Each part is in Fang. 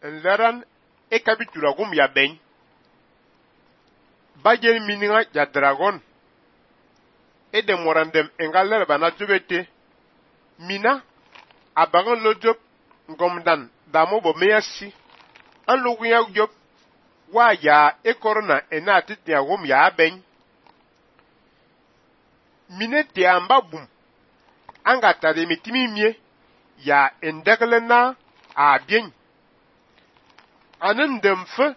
Nleran ekabitura gum ya ben. Bajen mininga ya dragon. Ede morandem engaler bana jobete. Mina abagan lo job ngomdan damo bo meyasi. An lo ya job wa ya ekorona enati ya gum ya ben. Minete amba bum. Anga tade mitimi mie ya endeglena a bien. Anen demfe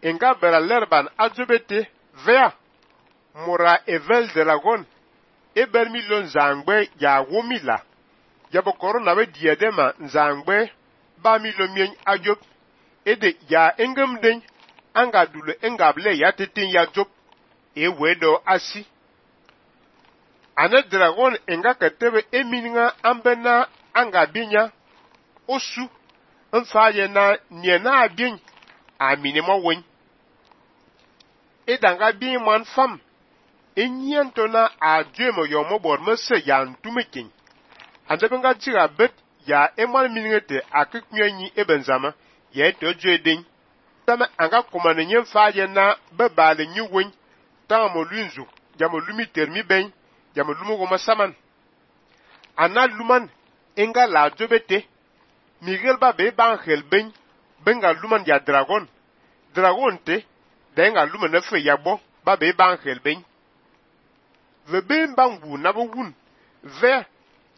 enga bera lerban ajobete vea mora evel dragon eber milon zangbe ya womila yabo korona we diadema zangbe ba milon mien ajob ede ya engem den anga dule engable ya tetin ya job wedo asi. Ane dragon enga ketebe emininga ambena anga binya osu mfaye na niena abin aminimo wen. Edanga bi man fam enyiento na adwemo yomo bor mese ya ntumekin. Andebenga tira bet ya eman miningete akiknyenyi ebenzama ya etojo edin. Tama anga komane nyen faye na bebale nyi wen tamo lunzu jamo lumi termi ben jamo lumu goma saman. Ana luman enga la jobete Miguel ba be bangel ben benga luman ya dragon. Dragon te denga luman ne fe yabo ba be bangel ben. Ve ben bangu na bo wun. Ve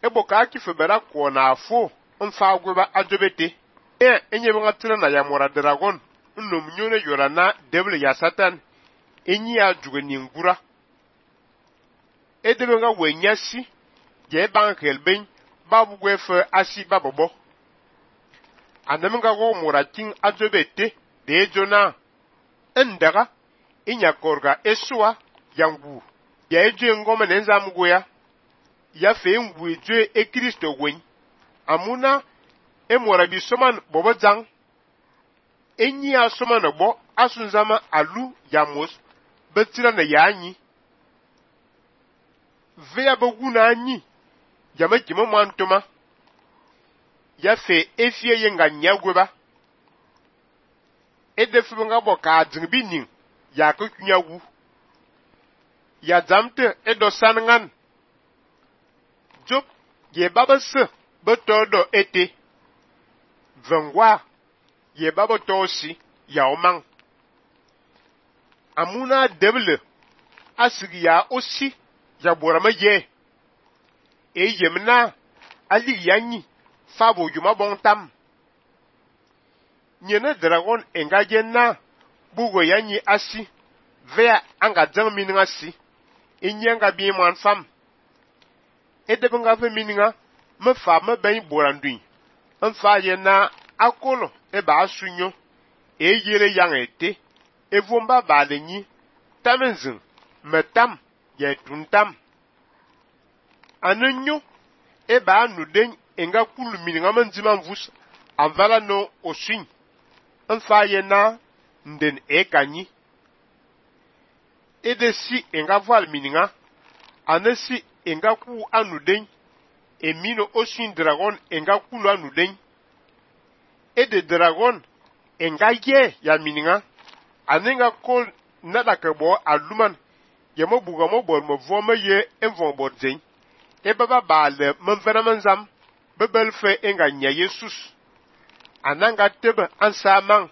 eboka ki fe bera ko na afo mfa gweba ajobete. Enye benga tuna na ya mora dragon. Nnom nyone yora na devil ya satan. Enyi ya juge ni ngura. Ede benga wenyasi je bangel ben babu gwefe asi babobo. Anamenga go murating ajobete de jona endaga inyakorga eswa yangu ya eje ngoma nenzamugo ya fe ngu eje e Kristo wen amuna emora bi soman bobo jang enyi asoma bo asunzama alu yamos betira na yanyi vea boguna anyi jama kimo mantoma ya fe efie yenga nyagweba edefu nga bo ka jingbi ning ya ko kunyawu ya zamte edo sanangan job ye babase betodo ete vengwa ye babo tosi ya omang amuna deble asigi ya osi ya borama ye yemna ali yanyi fabo juma bon tam. Nyene dragon engaje na bugo yanyi asi vea anga jang mininga si inyanga bi man fam. Edebenga fe mininga me fa me ben borandui. Mfa ye na akolo eba asunyo yere yang ete evomba balenyi tamenzin metam ye tuntam. Anenyo eba anuden enga kulu mininga manzima mvus avala no osin mfa ye na nden ekanyi edesi enga val mininga anesi enga ku anuden emino osin dragon enga kulu anuden ede dragon enga ye ya mininga anenga kol nada kebo aluman yemo buga mo bor mo voma ye envon bodzen ebaba bale mvana manzam bebel fe enga nya Jesus ananga tebe ansamang